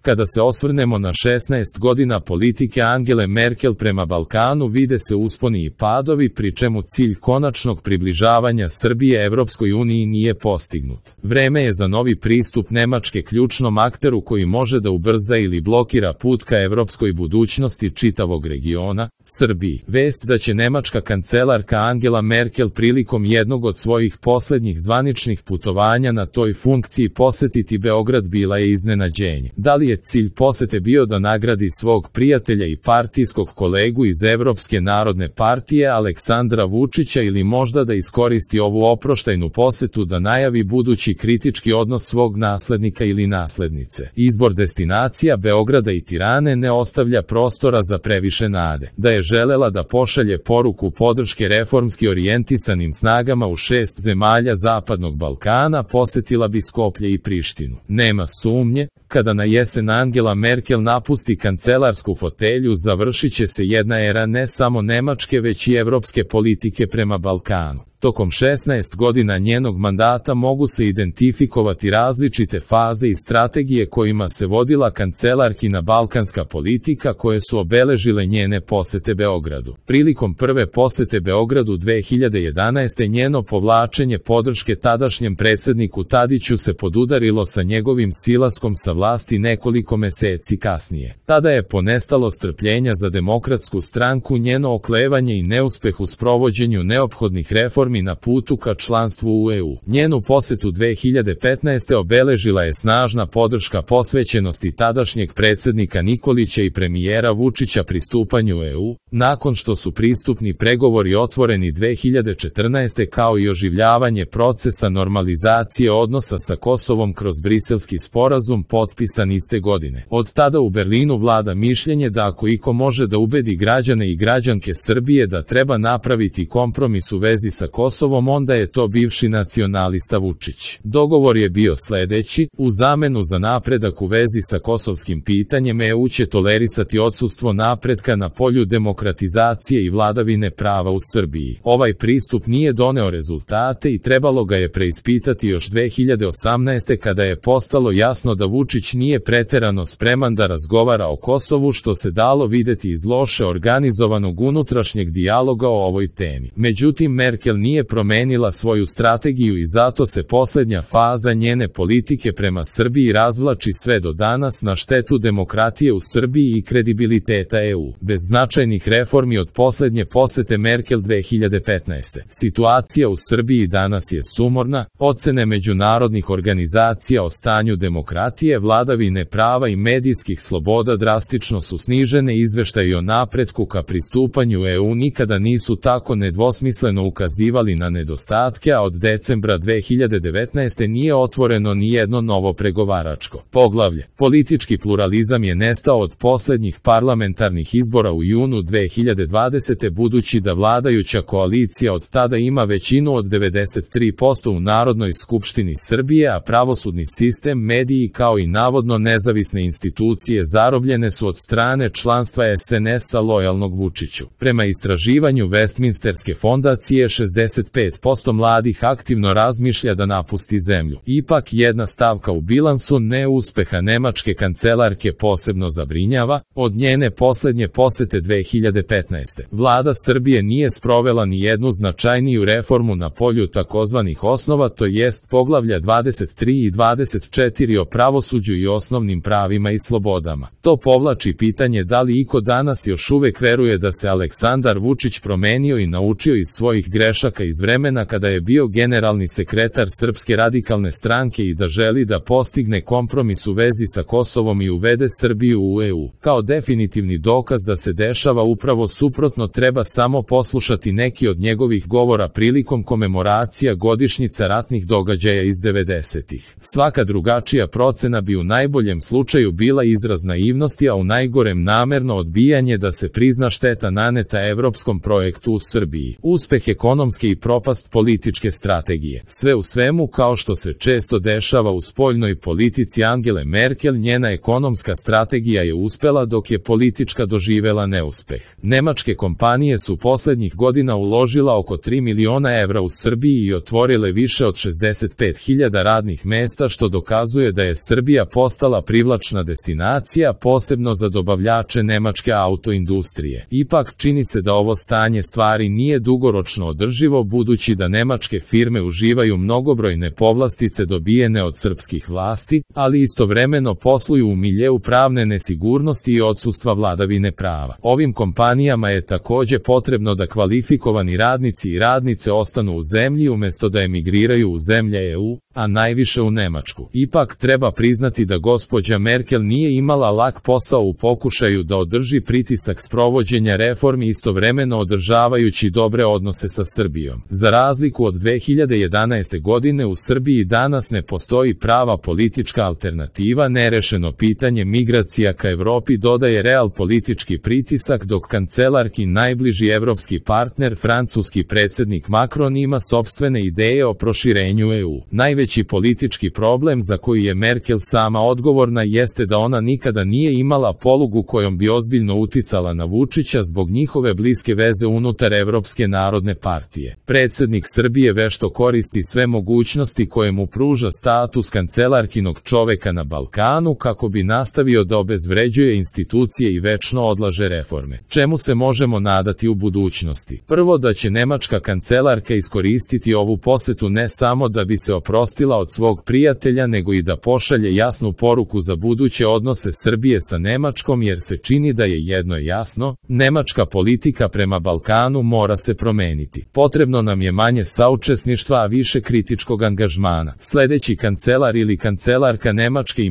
Kada se osvrnemo na 16 godina politike Angele Merkel prema Balkanu, vide se usponi i padovi, pri čemu cilj konačnog približavanja Srbije Evropskoj uniji nije postignut. Vreme je za novi pristup Nemačke ključnom akteru koji može da ubrza ili blokira put ka evropskoj budućnosti čitavog regiona, Srbiji. Vest da će nemačka kancelarka Angela Merkel prilikom jednog od svojih poslednjih zvaničnih putovanja na toj funkciji posetiti Beograd bila je iznenađenje. Da li je cilj posete bio da nagradi svog prijatelja i partijskog kolegu iz Evropske narodne partije Aleksandra Vučića ili možda da iskoristi ovu oproštajnu posetu da najavi budući kritički odnos svog naslednika ili naslednice? Izbor destinacija Beograda i Tirane ne ostavlja prostora za previše nade. Da je želela da pošalje poruku podrške reformski orijentisanim snagama u 6 zemalja Zapadnog Balkana, posetila bi Skoplje i Prištinu. Nema sumnje, kada na jesen Angela Merkel napusti kancelarsku fotelju, završit će se jedna era ne samo nemačke već i evropske politike prema Balkanu. Tokom 16 godina njenog mandata mogu se identifikovati različite faze i strategije kojima se vodila kancelarkina balkanska politika koje su obeležile njene posete Beogradu. Prilikom prve posete Beogradu 2011. njeno povlačenje podrške tadašnjem predsedniku Tadiću se podudarilo sa njegovim silaskom sa vlasti nekoliko meseci kasnije. Tada je ponestalo strpljenja za Demokratsku stranku, njeno oklevanje i neuspeh u sprovođenju neophodnih reformi na putu ka članstvu u EU. Njenu posetu 2015. obeležila je snažna podrška posvećenosti tadašnjeg predsednika Nikolića i premijera Vučića pristupanju EU, nakon što su pristupni pregovori otvoreni 2014. kao i oživljavanje procesa normalizacije odnosa sa Kosovom kroz Briselski sporazum potpisan iste godine. Od tada u Berlinu vlada mišljenje da ako iko može da ubedi građane i građanke Srbije da treba napraviti kompromis u vezi sa Kosovom, onda je to bivši nacionalista Vučić. Dogovor je bio sledeći: u zamenu za napredak u vezi sa kosovskim pitanjem EU će tolerisati odsustvo napretka na polju demokratizacije i vladavine prava u Srbiji. Ovaj pristup nije doneo rezultate i trebalo ga je preispitati još 2018. kada je postalo jasno da Vučić nije preterano spreman da razgovara o Kosovu, što se dalo videti iz loše organizovanog unutrašnjeg dijaloga o ovoj temi. Međutim, Merkel nije promenila svoju strategiju i zato se poslednja faza njene politike prema Srbiji razvlači sve do danas na štetu demokratije u Srbiji i kredibiliteta EU. Bez značajnih reformi od poslednje posete Merkel 2015. Situacija u Srbiji danas je sumorna, ocene međunarodnih organizacija o stanju demokratije, vladavine prava i medijskih sloboda drastično su snižene, izveštaji o napretku ka pristupanju EU nikada nisu tako nedvosmisleno ukazivali na nedostatke, a od decembra 2019. nije otvoreno ni jedno novo pregovaračko poglavlje. Politički pluralizam je nestao od poslednjih parlamentarnih izbora u junu 2020. budući da vladajuća koalicija od tada ima većinu od 93% u Narodnoj skupštini Srbije, a pravosudni sistem, mediji kao i navodno nezavisne institucije zarobljene su od strane članstva SNS-a lojalnog Vučiću. Prema istraživanju Westminsterske fondacije 65% mladih aktivno razmišlja da napusti zemlju. Ipak jedna stavka u bilansu neuspeha nemačke kancelarke posebno zabrinjava: od njene poslednje posete 2015. vlada Srbije nije sprovela ni jednu značajniju reformu na polju takozvanih osnova, to jest poglavlja 23 i 24 o pravosuđu i osnovnim pravima i slobodama. To povlači pitanje da li iko danas još uvek veruje da se Aleksandar Vučić promenio i naučio iz svojih grešaka iz vremena kada je bio generalni sekretar Srpske radikalne stranke i da želi da postigne kompromis u vezi sa Kosovom i uvede Srbiju u EU. Kao definitivni dokaz da se dešava upravo suprotno treba samo poslušati neki od njegovih govora prilikom komemoracija godišnjica ratnih događaja iz 90-ih. Svaka drugačija procena bi u najboljem slučaju bila izraz naivnosti, a u najgorem namerno odbijanje da se prizna šteta naneta evropskom projektu u Srbiji. Uspeh ekonomske greške i propast političke strategije. Sve u svemu, kao što se često dešava u spoljnoj politici Angele Merkel, njena ekonomska strategija je uspela dok je politička doživela neuspeh. Nemačke kompanije su poslednjih godina uložila oko 3 miliona evra u Srbiji i otvorile više od 65.000 radnih mesta, što dokazuje da je Srbija postala privlačna destinacija, posebno za dobavljače nemačke autoindustrije. Ipak, čini se da ovo stanje stvari nije dugoročno održivo, budući da nemačke firme uživaju mnogobrojne povlastice dobijene od srpskih vlasti, ali istovremeno posluju u miljeu pravne nesigurnosti i odsustva vladavine prava. Ovim kompanijama je takođe potrebno da kvalifikovani radnici i radnice ostanu u zemlji umesto da emigriraju u zemlje EU, a najviše u Nemačku. Ipak treba priznati da gospođa Merkel nije imala lak posao u pokušaju da održi pritisak sprovođenja reformi, istovremeno održavajući dobre odnose sa Srbijom. Za razliku od 2011. godine u Srbiji danas ne postoji prava politička alternativa, nerešeno pitanje migracija ka Evropi dodaje real politički pritisak, dok kancelarki najbliži evropski partner francuski predsednik Macron ima sopstvene ideje o proširenju EU. Najveći politički problem za koji je Merkel sama odgovorna jeste da ona nikada nije imala polugu kojom bi ozbiljno uticala na Vučića zbog njihove bliske veze unutar Evropske narodne partije. Predsednik Srbije vešto koristi sve mogućnosti koje mu pruža status kancelarkinog čoveka na Balkanu kako bi nastavio da obezvređuje institucije i večno odlaže reforme. Čemu se možemo nadati u budućnosti? Prvo, da će nemačka kancelarka iskoristiti ovu posetu ne samo da bi se oprostila od svog prijatelja, nego i da pošalje jasnu poruku za buduće odnose Srbije sa Nemačkom, jer se čini da je jedno jasno, nemačka politika prema Balkanu mora se promeniti. Potrebno nam je manje saučesništva, a više kritičkog angažmana. Sledeći kancelar ili kancelarka Nemačke i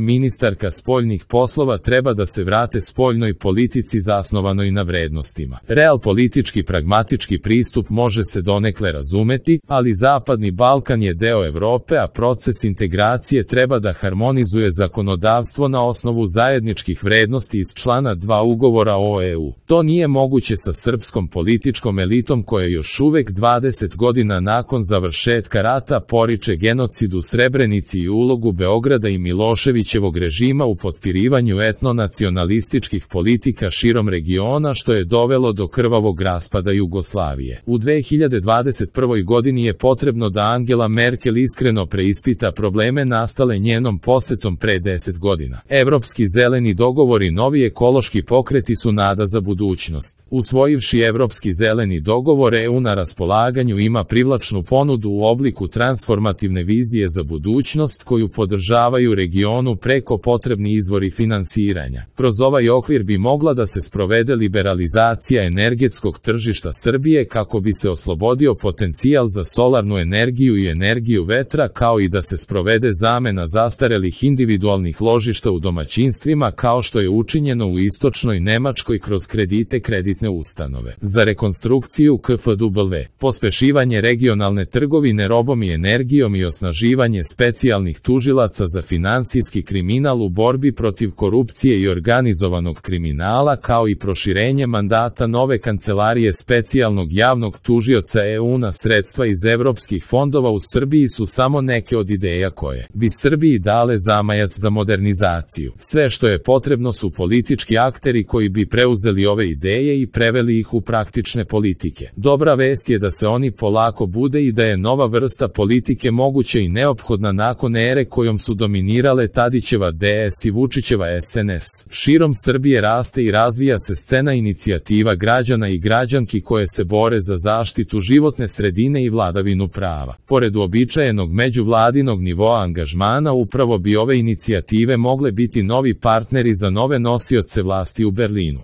ministarka spoljnih poslova treba da se vrate spoljnoj politici zasnovanoj na vrednostima. Real politički pragmatički pristup može se donekle razumeti, ali Zapadni Balkan je deo Evrope, a proces integracije treba da harmonizuje zakonodavstvo na osnovu zajedničkih vrednosti iz člana 2 ugovora o EU. To nije moguće sa srpskom političkom elitom koja još uvek 20 godina nakon završetka rata poriče genocid u Srebrenici i ulogu Beograda i Miloševićevog režima u potpirivanju etnonacionalističkih politika širom regiona, što je dovelo do krvavog raspada Jugoslavije. U 2021. godini je potrebno da Angela Merkel iskreno preispita probleme nastale njenom posetom pre 10 godina. Evropski zeleni dogovor i novi ekološki pokreti su nada za budućnost. Usvojivši Evropski zeleni dogovor, EU na raspolaganju ima privlačnu ponudu u obliku transformativne vizije za budućnost koju podržavaju regionu preko potrebni izvori finansiranja. Kroz ovaj okvir bi mogla da se sprovede liberalizacija energetskog tržišta Srbije kako bi se oslobodio potencijal za solarnu energiju i energiju vetra, kao i da se sprovede zamena zastarelih individualnih ložišta u domaćinstvima, kao što je učinjeno u istočnoj Nemačkoj kroz kredite kreditne ustanove. Za rekonstrukciju KfW, pospešivanje regionalne trgovine robom i energijom i osnaživanje specijalnih tužilaca za finansijski kriminal u borbi protiv korupcije i organizovanog kriminala, kao i proširenje mandata nove kancelarije specijalnog javnog tužioca EU na sredstva iz evropskih fondova u Srbiji su samo neke od ideja koje bi Srbiji dale zamajac za modernizaciju. Sve što je potrebno su politički akteri koji bi preuzeli ove ideje i preveli ih u praktične politike. Dobra vest je da se oni polako bude i da je nova vrsta politike moguća i neophodna nakon ere kojom su dominirale Tadićeva DS i Vučićeva SNS. Širom Srbije raste i razvija se scena inicijativa građana i građanki koje se bore za zaštitu životne sredine i vladavinu prava. Pored uobičajenog međuvladinog nivoa angažmana, upravo bi ove inicijative mogle biti novi partneri za nove nosioce vlasti u Berlinu.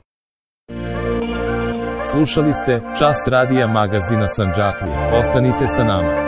Slušali ste Čas radija magazina Sandžaklija. Ostanite sa nama.